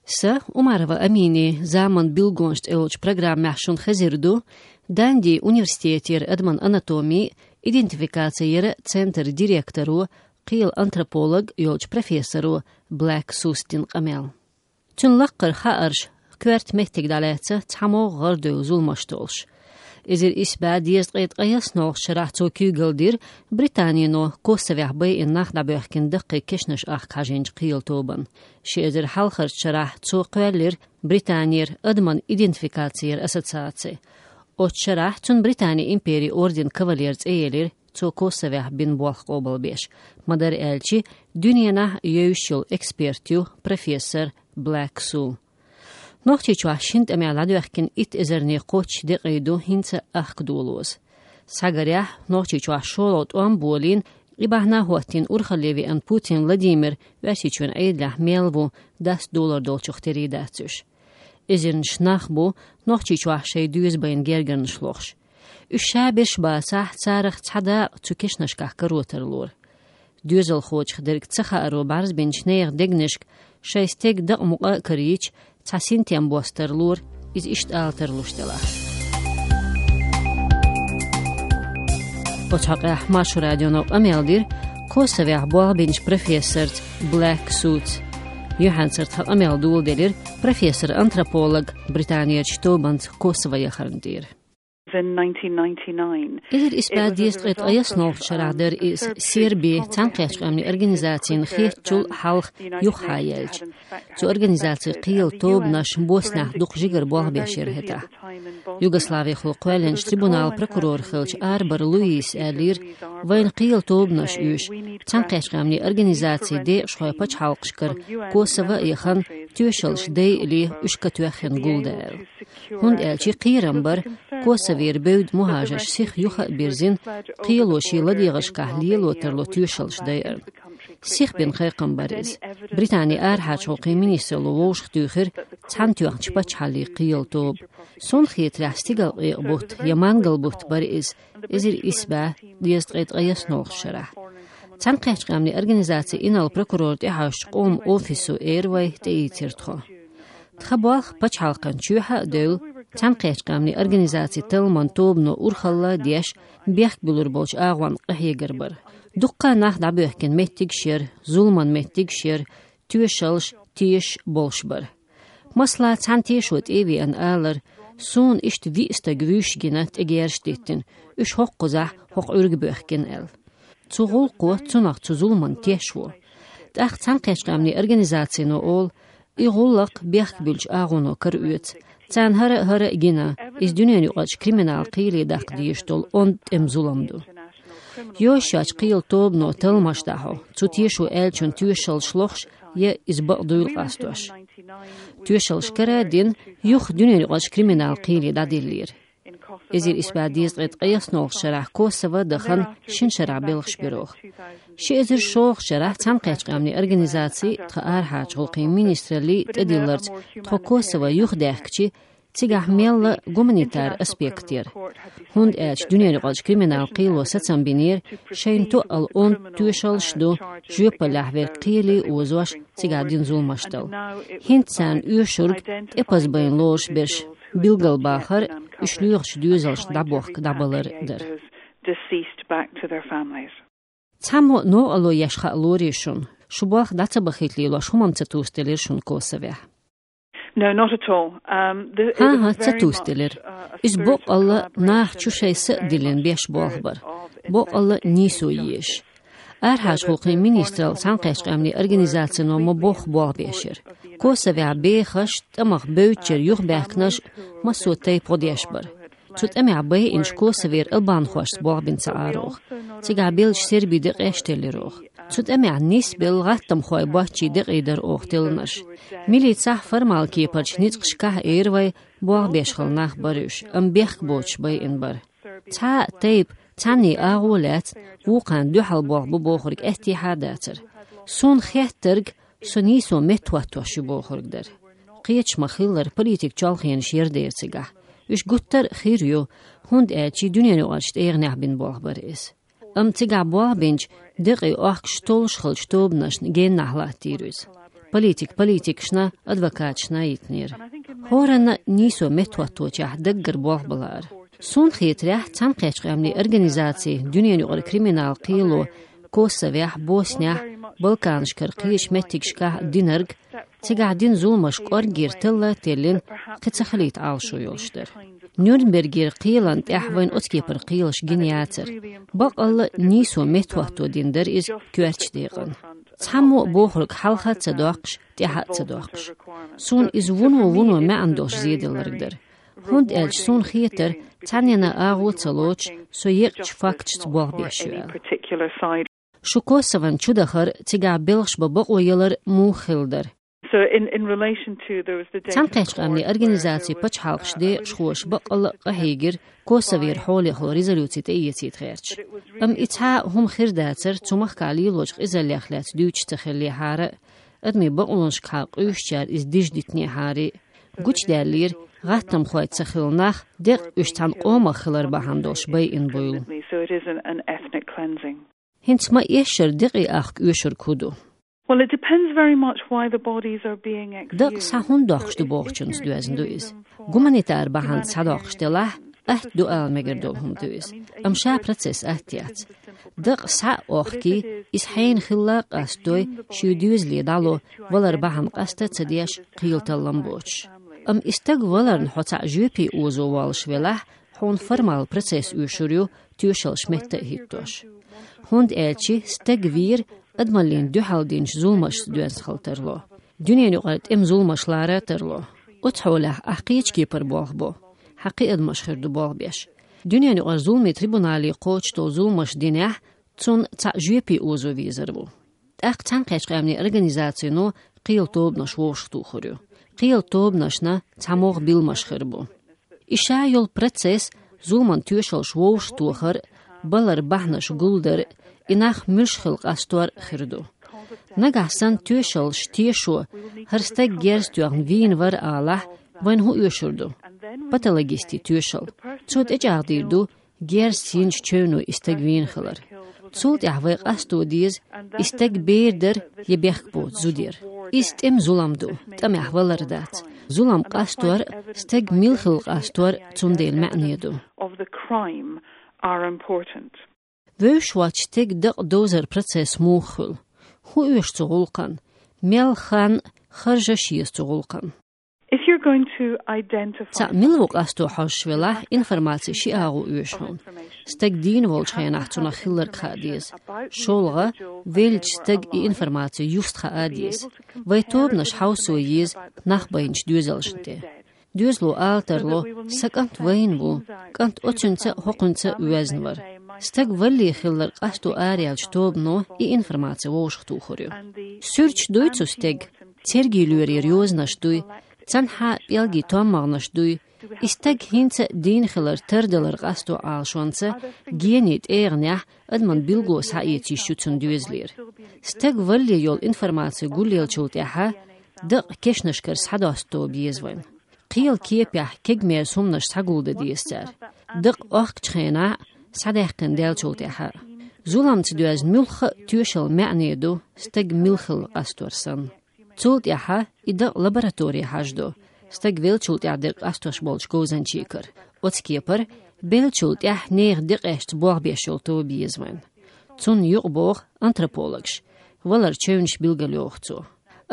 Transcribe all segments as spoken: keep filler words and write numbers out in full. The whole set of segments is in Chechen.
Са, Умарова Амини, «Заман билгонаш» тӀе йолчу программехь шуна хезар ду Данди университетера адаман анатоми а, идентификаци яран центр директоро, кхелан антрополог йолчу профессоро Блэк Сус дина къамел. Цуьнан лаккхара хаарш коьрта меттиг дӀалаьцна цхьаммо гӀарадевлла зуламаш толлуш. Эзар исс бӀе дезткъе ткъайоьсналгӀачу шарахь цо куьйгалла дира Британино Косовехь байина нах дӀабоьхкина даккхий кешнаш ахка хьажийначу кхелан тобанна. Ши эзар хьалхарчу шарахь цо кхоьллира Британера адаман идентификаци яран ассоциаци. Оцу шарахь цунна Британин империн орденан кавалер цӀе елира, цо Косовехь бина болх къобалбеш. Ма-дарра аьлча, дуьненахь евзаш йолу эксперт ю профессор Блэк Су. Нохчийчохь шина тӀамехь дӀадоьхкина итт эзарне кхоччуш декъий ду хӀинца а ахка долоза. Схьагарехь, Нохчийчохь шолгӀа тӀом болийна, и бахьана хӀоттийна урхалле веана Путин Владимир Оьрсийчоьнан Ӏедалехь мел ву даст долар долчух терий дац уьш. Эзарнаш нах бу Нохчийчохь шайн доьза байна гергарнаш лохуш. Уьш ша берш бацахь, царах цхьа дакъа цу кешнашкахь каро тарлора. Доьзалхочух дерг ца хааро бӀаьрзбинчу нехан дегнашка шайн стеган дакъа мукъа а карийча, цхьа синтем бос тарлора, иза иштта ала тарлуш делахь. Оцу хьокъехь Маршо радионо къамел дира Косовехь болх бинчу профессорца Блэк Суца. Юьхьанцара тхан къамел доладелира профессор-антрополог Британерчу тобанца Косово яхарна тӀера. In nineteen ninety-nine, Эзар исс бӀе дезткъе ткъайоьсналгӀачу шарахь дара иза, Сербин Цхьаьнакхеттачу Къаьмнийн Организацина хеттачул хьалха юххьа яьлча. Цу организацин кхелан тобанаш Боснехь дукха жигара болх беш яра хӀетахь. Югославехула кхоьллинчу трибуналан прокурор хиллачу Арбор Луиса аьллера, вайна кхелан тобанаш оьшу, Цхьаьнакхеттачу Къаьмнийн Организацин декъашхойн пачхьалкхашкара Косово а яхана, тоьшаллаш дайале уьш катоьхна гулдан аьлла. ХӀунда аьлча кхерам бара, Косовера бевдда мухӀажарш сиха юха а бирзина, кхело шен ладегӀашкахь лело тарло тоьшаллаш дайарна. Сиха бина кхайкхам бара иза. Британин арахьарчу гӀуллакхийн министралло вовшахтуьйхира цхьаьнатоьхначу пачхьаллийн кхелан тоба. Суна хетарехь, стигалкъекъа бутт я мангал бутт бара иза, эзар исс бӀе дезткъе ткъайоьсналгӀачу шарахь. Цхьаьнакхеттачу Къаьмнийн Организацин инарла прокуроран тӀехьожучу къоман офисо эр вай тӀеийцира тхо. Тхан болх пачхьалкхан чоьхьа а девлла, Цхьаьнакхеттачу Къаьмнийн Организацин талламан тобано урхалла а деш, бехк буьллур болчу агӀонна къахьегар бара. Дуккха а нах дӀабоьхкина меттигаш яра, зуламан меттигаш яра, тоьшаллаш, тешаш болуш бара. Масала, цхьана тешо тӀе а веана, алара: «Суна иштта виъ стаг вуьйш гина, тӀе герзаш диттина, уьш хӀокхузахь хӀокху Ӏуьрга боьхкина», — аьлла. Цу гӀуллакхо, цунах, цу зуламан тешо. ТӀаккха Цхьаьнакхеттачу Къаьмнийн Организацино олу: «И гӀуллакх бехк буьллучу агӀоно караоьцу. Царна хӀара а, хӀара а гина, иза дуьненаюкъарчу криминалан кхеле даккха дезаш долу онда тӀеман зулам ду». Йозуш йоцчу кхелан тобано талламаш дӀахьо, цу тешо аьллачун тоьшаллаш лохуш я иза бакъ дуйла къастош. Тоьшаллаш кара а дина, юха дуьненаюкъарчу криминалан кхеле дӀадиллира. Эзар исс бӀе дезткъе ткъайоьсналгӀачу шарахь Косово а дахана шина шарахь белхаш бира оха. Ши эзар шолгӀачу шарахь Цхьаьнакхеттачу Къаьмнийн Организацин, тхан арахьарчу гӀуллакхийн министраллин тӀедилларца тхо Косово юхадаьхкичи, цигахь мелла гуманитар аспект яра. ХӀунда аьлча дуьненаюкъарчу криминалан кхело сацам бинера шайна тоъал онда тоьшаллаш ду, жоьпаллехь верг кхеле а озош, цигахь дина зуламаш дала. ХӀинца царна оьшург тӀепаза байна лоруш берш билгалбахар, уьш лоьхучу доьзалшна дӀабохка дӀабалар дара. Deceased back to their families. Цхьаммо новкъарло еш хаалора шуна? Шу болх дӀа ца бахийта лелош хӀумма ца тосделира шуна Косовехь? No, not at all. Um, the, it was ХӀан-хӀа, ца very much, тосделира. Uh, a Иза spirit of боккъалла collaboration наха чу шайн са а диллина беш болх бара. Боккъалла нийсо езаш. Арахьарчу гӀуллакхийн министралло, Цхьаьнакхеттачу Къаьмнийн Организацино ма-бохху болх беш яра. Косовехь бехаш, тӀамах бевддачара юхабаьхкинарш массо а тайпа гӀо деш бара. Цу тӀамехь байинчу Косовера албанхошца болх бина ца Ӏара оха. Цигахь беллачу сербийн декъеш теллира оха. Цу тӀамехь нисбелла гӀаттамхойн боччийн декъий дара оха теллинарш. Милицехь, формал кепарчу ницкъашкахь а эр вай, болх беш хилла нах бара уьш, амма бехк боцуш байина бара. Цхьа а тайпа, цхьанний агӀо а лаьцна, вукхарна дуьхьал болх бу бохург аьттехьа а дацара. Суна хеттарг, со нийсо меттахӀоттош ю бохург дара. Кхеташ ма-хиллара, политикан чолхенаш яра дера цигахь. Уьш гуттар а хир ю, хӀунда аьлча дуьненаюкъарчу тӀегӀанехь бина болх бара иза. Амма цигахь болх бинчу, декъий охкуш толлуш хиллачу тобанашна геннахь латтийра иза. политик политикашна, адвокаташна йитнера. ХӀоранна нийсо меттахӀотточехь даггара болх ба лаьар. Суна хетарехь, Цхьаьнакхеттачу Къаьмнийн Организаци, Дуьненан юкъара криминал кхело Косовехь, Боснехь, Балканашкара кхечу меттигашкахь динарг, цигахь дина зуламаш кӀорггера талла а теллина, кхин ца хилийта Ӏалашо йолуш дара. Нюрнбергера кхелана тӀехь вайна оцу кепара кхелаш гина яцара. Баккъалла а нийсо меттахӀотто дина дара иза коьртачу декъана. Цхьаммо а бохург хьалха а ца доккхуш, тӀаьхьа а ца доккхуш. Суна иза вуно-вуно маьӀна долуш зеделларг дара. ХӀунда аьлча суна хетара, цхьаннена агӀо а ца лоцуш, со екъачу факташца болх беш ю аьлла. Шу Косован чу дахар, цигахь белхаш бан бакъо ялар муха хилла дара? Цхьаьнакхеттачу Къаьмнийн Организацин пачхьалкхаш декъашхоша баккъалла а къахьийгира Косовера хьолехула резолюци тӀеэцийта гӀерташ. Амма и цхьа а хӀума хир дацара цу махкахь лелочу къизаллех лаьцна дуьйцуш ца хиллехьара а, адамийн бакъонашкахьа къуьйсучара иза дижа дитинехьара а. Гучудаьллера, гӀаттамхой ца хилла нах декъа уьш цхьана къомах хилар бахьана долуш байина буйла. ХӀинца ма-эшшара декъий ахка оьшург хӀун ду? Well, it depends very much why the bodies are being exhumed. Дакъа схьа хӀунда доккхуш ду бохучунца доьзна ду иза. Гуманитар бахьана схьадоккхуш делахь, атта ду ала мегар долу хӀума ду иза. Амма ша процесс атта яц. Дакъа схьа а охкий, иза хьенан хилла а къастадой, шен доьзале дӀало, валар бахьана къаста а ца деш, кхел таллам боцуш. Амма и стаг валарна хьо цхьаъ жоьпе озо воллуш велахь, хьуна формал процесс оьшур ю, тоьшаллаш метта а хӀиттош. ХӀунда аьлча стаг вийр адамаллина дуьхьал динчу зуламашца доьзна хила тарло. Дуьненан юкъара тӀеман зуламаш лара а тарло. Оцу хьолехь ахь кхечу кепара болх бо. Хьан кхин адамаш хир ду болх беш. Дуьненан юкъара зуламийн трибунале кхочуш долу зуламаш динехь, цунна цхьаъ жоьпе озо везар ву. ТӀаккха Цхьаьнакхеттачу Къаьмнийн Организацино кхел тобанаш вовшахтухур ю. Кхел тобанашна цхьа могӀа билламаш хир бу. И ша йолу процесс, зуламан тоьшаллаш вовшахтохар, балар бахьанаш гулдар, и нах муьлш хила къастор хир ду. Нагахь санна тоьшаллаш тешо, хӀара стаг герз тоьхна вийна вара алахь, вайна хӀун оьшур ду? Патологистийн тоьшалла. Цо тӀечӀагӀдийр ду, герз йинчу чевно и стаг вийна хилар. Цул тӀаьхьа вай къасто деза, и стаг бер дара я бехк боцу зуда яра. Иза тӀеман зулам ду, тӀамехь валар дац. Зулам къастор а, стаг мила хила къастор а цундела маьӀне ду. Of the crime are important. Вевзаш воцчу стеган дакъа довзар процесс муха хуьлу? ХӀун оьшу цу гӀуллакхана? Мел хан, харжаш еза цу гӀуллакхана? If you're going to identify цхьаъ мила ву къасто хьожуш велахь, информаци ши агӀо оьшу хьуна. Стаг дийна волчу хенахь цунах хилларг хаа деза. ШолгӀа, веллачу стага и информаци юста хаа деза. Вай тобанаш хьовсо еза нах байначу доьзалшна тӀе. Доьзало ала тарло: «Сан кӀант вайна ву, кӀант оцуьнца а, хӀокхуьнца а воьзна вара». Стаг валле хилларг къасто араяьллачу тобано и информаци вовшахтухур ю. Суьрташ дуй цу стеган, цергийн лоьрера йозанаш дуй, цхьанхьа пӀелгийн томмагӀанаш дуй, и стаг хӀинца а дийна хилар тардалар къасто Ӏалашонца, генийн тӀегӀанехь адаман билгало схьаэца йиш ю цуьнан доьзалера. Стаг валле йолу информаци гулъеллачул тӀаьхьа дакъа кешнашкара схьадоста тоба еза вайна. Кхелан кепехь кегамерза хӀуманаш схьагулдан деза цара. Дакъа охкучу хенахь а, схьадаьккхина даьллачул тӀаьхьа а. Зуламца доьзна муьлхха а тоьшалла маьӀне ду, стаг мила хила къастор санна. Цул тӀаьхьа и дакъа лаборатори хьажадо, стаг веллачул тӀаьхьа дерг къастош болчу говзанчийн кара. Оцу кепара, беллачул тӀаьхьа нехан декъешца болх беш йолу тоба еза вайна. Цунна юкъабоху антропологаш, валар чевнаш билгалйоху цо.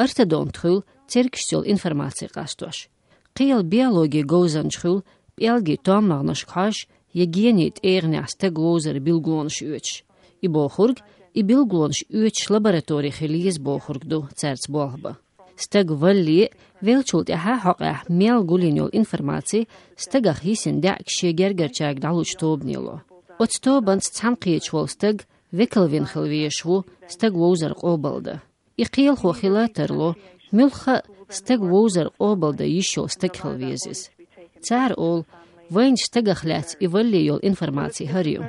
Ортодонт хуьлу цергашца йолу информаци къастош. Кхелан биологин говзанча хуьлу пӀелгийн томмагӀанашка хьожуш я генийн тӀегӀанехь стаг вовзаран билгалонаш оьцуш. И бохург, и билгалонаш оьцуш лаборатори хила еза бохург ду цаьрца болх бан. Стаг валле а, веллачул тӀаьхьа а хьокъехь мел гулйина йолу информаци стагах йисина даьӀахкаш шен гергарчаьрга дӀалучу тобане ло. Оцу тобанца цхьаьна кхеташ волу стаг векалвина хила везаш ву стаг вовзар къобалдан. И кхелахо хила а тарло, муьлхха а стаг вовзар къобалдан йиш йолу стаг хила веза иза. Цара олу, вайна стагах лаьцна и валле йолу информаци хӀара ю.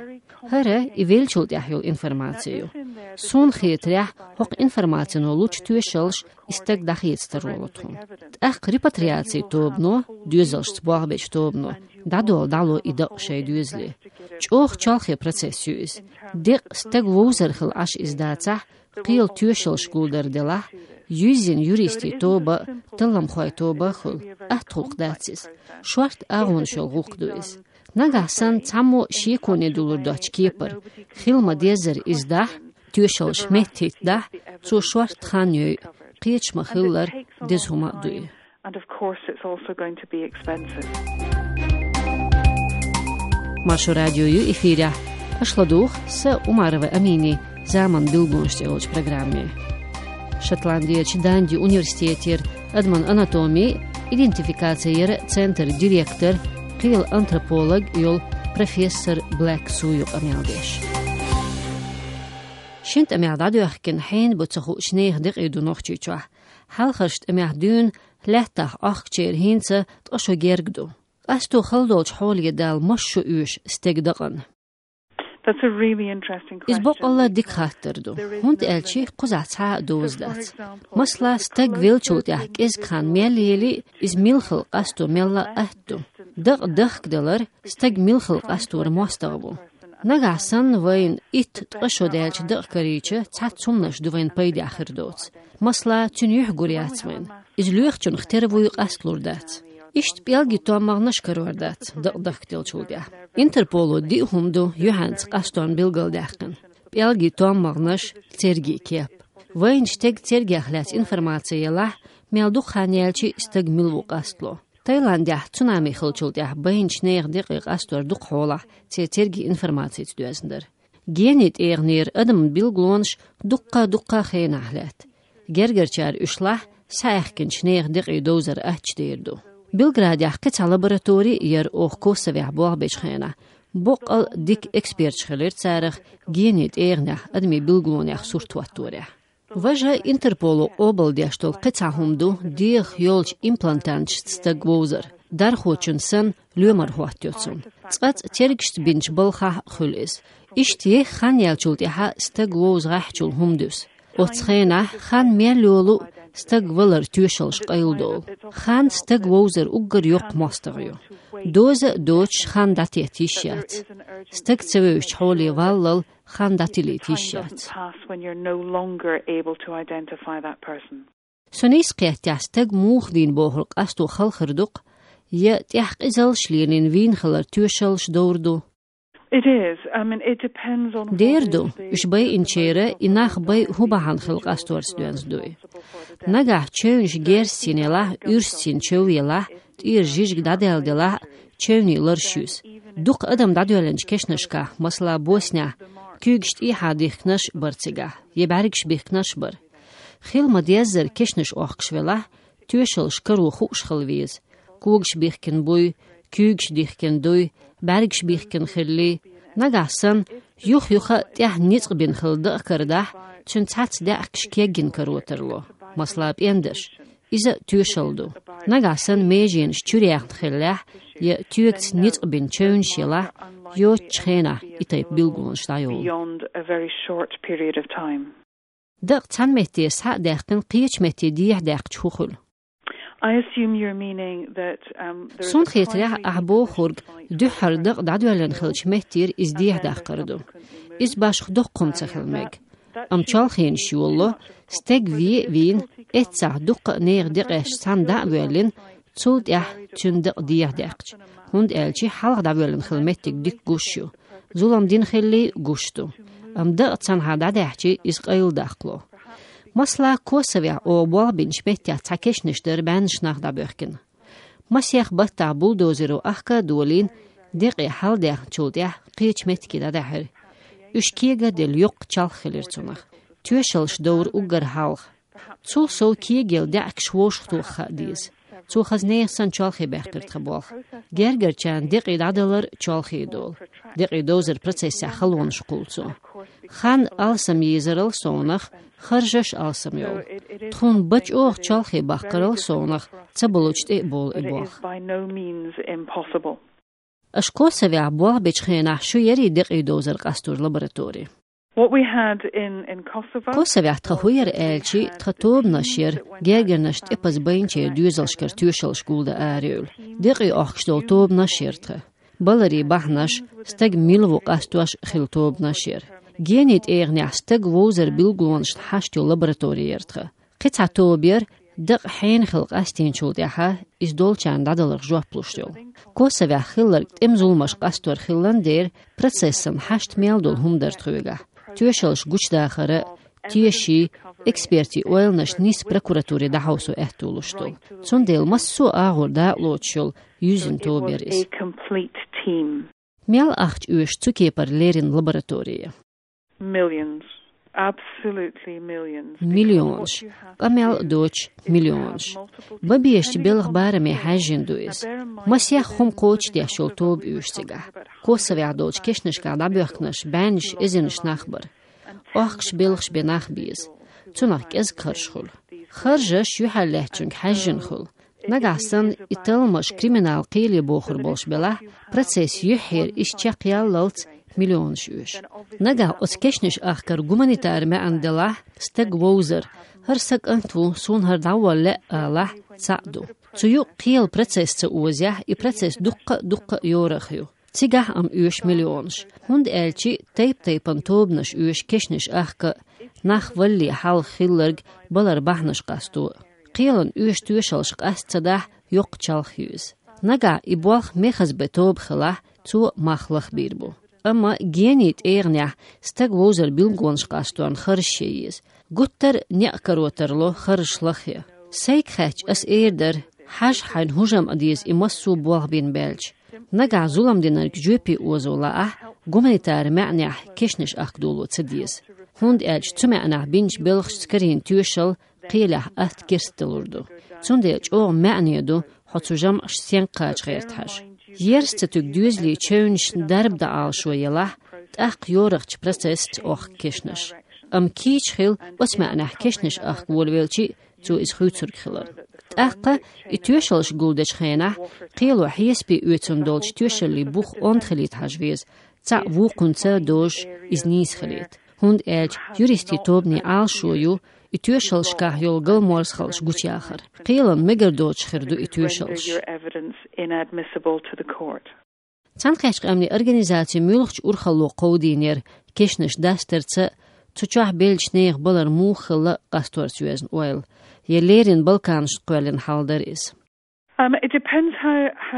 ХӀара и веллачул тӀаьхьа йолу информаци ю. Суна хетарехь, хӀокху информацино лучу тоьшаллаш и стаг дӀахеца таро ло тхуна. ТӀаккха репатриацин тобано, доьзалшца болх бечу тобано, дӀадолла дӀало и дакъа шайн доьзале. ЧӀогӀа чолхе процесс ю иза. Декъа стаг вовзар хила Ӏаш иза дацахь, кхелан тоьшаллаш гулдар делахь, Юьззина юристийн тоба, талламхойн тоба а хуьлу, атта гӀуллакх дац иза. Шортта агӀонаш йолу гӀуллакх ду иза. Нагахь санна цхьаммо шеконе дулур доцчу кепара, хила ма-деззара иза дахь, тоьшаллаш меттахӀиттадахь, цо шортта хан йойу, кхеташ ма-хиллара, деза хӀума а ду и. And of course, it's also going to be expensive. Маршо радио ю эфирехь. Аша ладугӀу сан, Умарова Аминин, «Заман билгалонаш» цӀе йолчу программе. Шотландерчу Данди университетера адаман анатоми, идентификаци яран центран директор, кхелан антрополог йолу профессор Блэк Су ю къамел деш. Шина тӀамехь дӀадоьхкина хьенан бу ца хуучу нехан декъий ду Нохчийчохь. Хьалхарчу тӀамехь дуьйна лаьттах Ӏохкучеран хӀинца ткъа шо герга ду. Къасто хала долчу хьоле дала масса шо оьшу стеган дакъана? That's a really interesting question. Иза боккъалла дика хаттар ду, хӀунда аьлча кхузахь цхьа а доза дац. Масала, стаг веллачул тӀаьхьа кӀезиг хан мел ели, иза мила хила къасто мелла а атта ду. Дакъа дахкадалар стаг мила хила къасторан мостагӀа ву. Нагахь санна вайна итт-ткъа шо даьлча дакъа карийча, цхьацца хӀуманаш ду вайна пайдехь хир доцу. Масала, цуьнан юьхь гур яц вайна. Иза лоьхучунах тера вуй, къасталур дац. Иштта пӀелгийн томмагӀнаш карор дац дакъа дахкаделлачул тӀаьхьа. Интерполо диъ хӀума ду юьхьанца къастонна билгалдаьккхина: пӀелгийн томмагӀнаш, цергий кеп. Вайна стеган цергех лаьцна информаци елахь, мел дукха хан яьлча стаг мила ву къастало. Таиландехь цунами хиллачул тӀаьхьа байначу нехан декъий къастор дукха хьолахь церан цергийн информацица доьзна дара. Генин тӀегӀанера адаман билгалонаш дуккха-дуккха хенахь лаьтта. Гергарчара уьш лахь, схьаьхкинчу нехан декъий довзар аттачу дер ду. Белградехь кхин цхьа лаборатори а яра оха Косовехь болх бечу хенахь. Боккъал дика эксперташ хилира царах генин тӀегӀанехь адамийн билгалонех сурт хӀотторехь. Важа Интерполо къобалдеш долу кхин цхьа хӀума ду дегӀах йолчу имплантанташца стаг вовзар. Дархочун санна, лоьмар хӀоттайо цунна. Цкъацкъа цергашца бинчу балхахь а хуьлу иза. Иштта еха хан яьллачул тӀаьхьа стаг вовза гӀеххьачул хӀума дуьсу. Оцу хенахь хан мел йолу, стаг валар тоьшаллаш къайладолу. Хан стаг вовзар уггар йоккха мостагӀа ю. Доза а доцуш хан дӀатетта йиш яц. Стаг ца вевзачу хьоле валлал хан дӀатилийта йиш яц. When you're no longer able to identify that person. Со нийса кхеттехь, стаг муха вийна бохург къасто хала хир ду-кх, я тӀехь къизаллаш лелийна вийна хилар тоьшаллаш довр ду? It is. I mean, it depends on what is the... Дер ду, уьш байинчеран и нах бай хӀун бахьана хилла къасторца доьзна ду и. Нагахь чевнаш герзаца йина елахь, уьрсаца йина чев елахь, тӀера жижиг дӀадаьлла делахь а, чевнийн лараш юьсу. Дукха адам дӀадоьллинчу кешнашкахь, масала, Боснехь, куьйгаш тӀехьа дихкинарш а бара цигахь, я бӀаьргаш бихкинарш а бара. Хила ма-деззара кешнаш Ӏохкуш велахь, тоьшаллаш каро хууш хила веза. Когаш бихкина буй, куьйгаш дихкина дуй, бӀаьргаш бихкина хиллий, нагахь санна, юх-юха а тӀехь ницкъ бина хилла дакъа карадахь, цуьнан цхьацца даьӀахкаш кегйина каро тарло, масала, пӀендарш. Иза тоьшалла ду. Нагахь санна меженаш чуьра яьхна хиллехь, я тоьгаца ницкъ бина чевнаш елахь, йоцучу хенахь и тайпа билгалонаш дӀайолу. Beyond a very short period of time. Дакъа цхьана метте схьа а даьккхина, кхечу метте дехьа даьккхича хӀун хуьлу? I assume you're meaning that, um, there is a... Суна хетарехь, ахь бохург, дуьххьара дакъа дӀадоьллина хиллачу меттера иза дехьа даккхар ду. Иза башха доккха хӀума ца хила мега. Амма чолхенаш йолало, стаг вен а вийна, эццахь дуккха а нехан декъеш цхьаьна дӀа а воьллина, цул тӀаьхьа цуьнан дакъа дехьа даьккхича, хӀунда аьлча хьалха дӀавоьллина хилла меттиг дика гуш ю. Зулам дина хиллий, гуш ду. Амма дакъа цхьанхьа дӀадаьхьча, иза къайладаккхало. Масала, Косовехь оха болх бинчу меттехь цхьа кешнаш дара бӀеннаш нах дӀабоьхкина. Масех баттахь бульдозеро ахка а долийна, декъий хьалдаьхначул тӀаьхьа кхечу меттиге дӀадаьхьира. Уьш кега а делла, йоккха чалх хилира цунах. Тоьшаллаш довра уггар хьалха. Цул сов кегаелла даьӀахкаш вовшахтоха хаа деза. Цо хаза нехан санна чолхе баьккхира тхан болх. Гергарчарна декъий дӀадалар чолхе долу. Декъий довзар процессехь халонаш кхуллу цо. Хан алсам езарал совнах, харжаш алсам йолу. Тхуна бачӀогӀа чолхе баккхарал совнах, ца болучу тӀе а болу и болх. By no means impossible. Аша Косовехь болх бечу хенахь шу ярий декъий довзар къастор лаборатори? What we had in, in Kosovo... Косовехь тхан хӀун яра аьлча, тхан тобанаш яра, гергарнаш тӀепаза байначеран доьзалшкара тоьшаллаш гулдан арайевлла. Декъий Ӏохкуш долу тобанаш яра тхан. Баларийн бахьанаш, стаг мила ву къастош хилла тобанаш яра. Генин тӀегӀанехь стаг вовзар билгалонашна хьашт йолу лаборатори яра тхан. Кхин цхьа тоба яр дакъа хьенан хила къастийначул тӀаьхьа иза долчарна дӀадаларх жоп луш йолу. Косовехь хилларг тӀеман зуламаш къастор хилла дера, процессан хьашт мел долу хӀума дара тхоьгахь. Тоьшаллаш гучудахар а, теший, экспертийн ойланаш нийсса прокуратуре дӀахьовсо аьтто луш долу. Цундела массо а агӀор дакъалоцуш йолу юьззина тоба яр иза. Мел ахча оьшу цу кепара леррина лаборатори? Millions. Absolutely millions. Миллионаш. Къамел а доцуш, миллионаш. Бан безачу белхан бараме хьаьжжина ду иза. Масех хӀума кхочушдеш йолу тоба оьшу цигахь. Косовехь долчу кешнашкахь дӀабоьхкинарш бӀеннаш, эзарнаш нах бара. Охкуш, белхаш бен нах беза. Цунах кӀезиг харж хуьлу. Харжаш юьхьарлаьцначуьнга хьаьжжина хуьлу. Нагахь санна и талламаш криминал кхеле бохур болуш белахь, процесс юьххьера, иза чекхъяллалц миллионаш оьшу. Нагахь оцу кешнаш ахкар гуманитар маьӀна делахь, стаг вовзар, хӀара сан кӀант ву, суна хӀара дӀаволла лаьа алахь, цхьаъ ду. Цу юкъа кхелан процесс ца озахь, и процесс дуккха а, дуккха а йорах ю. Цигахь а оьшу миллионаш, хӀунда аьлча тайп-тайпана тобанаш оьшу кешнаш ахка а, нах валале хьалха хилларг балар бахьанаш къасто а. Кхелан оьшу тоьшаллаш къаста ца дахь, йоккха чалх ю иза. Нагахь и болх мехаза бен тоба хилахь, цо мах лахбийр бу. Амма генин тӀегӀанехь стаг вовзар билгалонаш къасторна харжаш ян еза. Гуттар а некъ каро тарло харжаш лахъян. Сайга хаьттича, ас эр дара: хьажа, хьайна хӀун жамӀ деза и массо а болх бина баьлча. Нагахь зулам динарг жоьпе озо лаахь, гуманитар маьӀнехь кешнаш ахка доло ца деза. ХӀунда аьлча цу маьӀнехь бинчу белхашца карийна тоьшалла кхелехь атта керстдалур ду. Цундела чӀогӀа маьӀне ду хьо цу жамӀашца стенга кхача гӀерта хьажа. Ерза ца туьгу доьзалийн чевнаш дарба дан Ӏалашо елахь, тӀаккха йорах процессаца охка кешнаш. Амма кийча хила оцу маьӀнехь кешнаш ахка волавелча а, цо иза хуьйцург хиларна. ТӀаккха и тоьшаллаш гулдечу хенахь кхело хьесапе оьцун долчу тоьшаллийн бух онда хилийта хьажа веза, цхьаъ вукхунца дозуш иза нийса хилийта. ХӀунда аьлча юристийн тобанийн Ӏалашо ю и тоьшаллашкахь йолу галаморзахаллаш гучуяхар. Кхелан мегар доцуш хир ду и тоьшаллаш. Цхьаьнакхеттачу къаьмнийн организаци муьлхачу урхалло кховдийна яра кешнаш дастарца а, цу чохь беллачу нехан балар муха хилла а къасторца йоьзна ойла. Я леррина Балканашна кхоьллина хьал дара иза.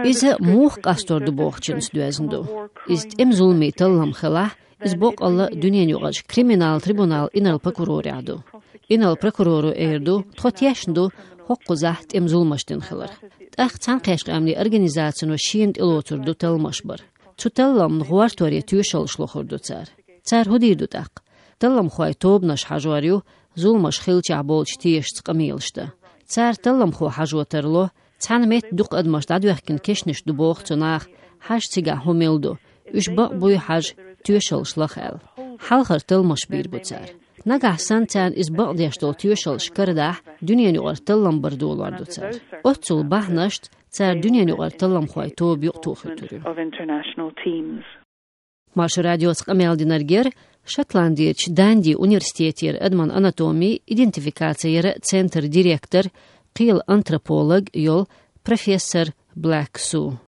Иза муха къастор ду бохучуьнца доьзна ду. Иза тӀеман зуламийн таллам хилахь, иза боккъалла дуьненаюкъарчу криминал трибунал инарла прокурорехь ду. Инарла прокуроро эр ду, тхо тешна ду хӀокхузахь тӀеман зуламаш дина хилар. ТӀаккха Цхьаьнакхеттачу къаьмнийн организацино шена тӀелоцур ду талламаш бар. Цу талламна гӀортор я тоьшаллаш лохур ду цара. Цара хӀун дийр ду тӀаккха? Талламхойн тобанаш хьажор ю зуламаш хиллачохь болчу тешаца къамелаш дан. Цара талламхо хьажо тарло, цхьана метта дукха адамаш дӀадоьхкина кешнаш ду боху цу наха, хьажа цигахь хӀун мила ду, уьш бакъ буй хьажа, тоьшаллаш лаха аьлла. Хьалхара талламаш бийр бу цара. Нагахь санна царна иза бакъдеш долу тоьшаллаш карадахь, дуьненаюкъара таллам бар долор ду цара. Оццул бахьанашца цара дуьненаюкъара талламхойн тоба юкъатухуьйтур ю. Маршо радиоца къамел динарг яра Шотландерчу Данди университетера адаман анатоми, идентификаци яра центр директор, кхелан антрополог йолу профессор Блэк Су.